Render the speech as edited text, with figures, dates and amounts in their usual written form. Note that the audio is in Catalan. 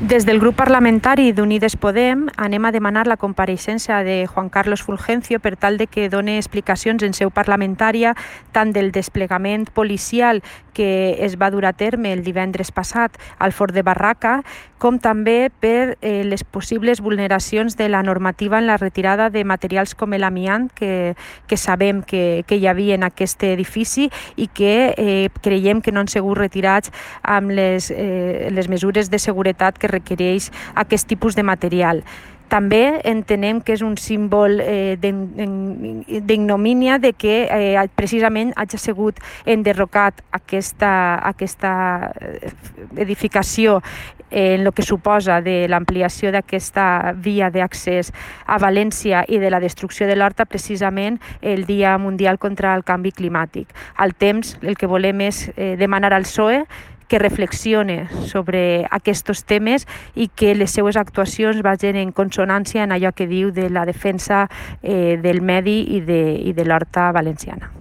Des del grup parlamentari d'Unides Podem anem a demanar la compareixença de Juan Carlos Fulgencio per tal de que doni explicacions en seu parlamentària tant del desplegament policial que es va dur a terme el divendres passat al Fort de Barraca, com també per les possibles vulneracions de la normativa en la retirada de materials com l'amiant que sabem que hi havia en aquest edifici i que creiem que no han sigut retirats amb les mesures de seguretat que requereix aquest tipus de material. També entenem que és un símbol d'ignomínia de que precisament hagi sigut enderrocat aquesta edificació en el que suposa de l'ampliació d'aquesta via d'accés a València i de la destrucció de l'Horta precisament el Dia Mundial contra el Canvi Climàtic. Al temps, el que volem és demanar al PSOE que reflexione sobre aquests temes i que les seues actuacions vagin en consonància en allò que diu de la defensa del medi i de l'horta valenciana.